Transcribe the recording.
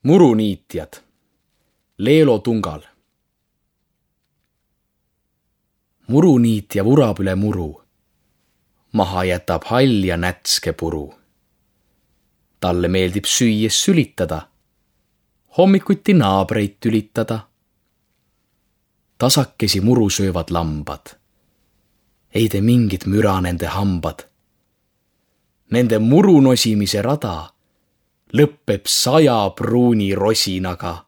Muruniitjad. Leelo Tungal. Muruniitja vurab üle muru. Maha jätab hall ja nätske puru. Talle meeldib süües sülitada. Hommikuti naabreid tülitada. Tasakesi muru söövad lambad. Ei tee mingit müra nende hambad. Nende muru nosimise rada lõppeb 100 pruuni rosinaga.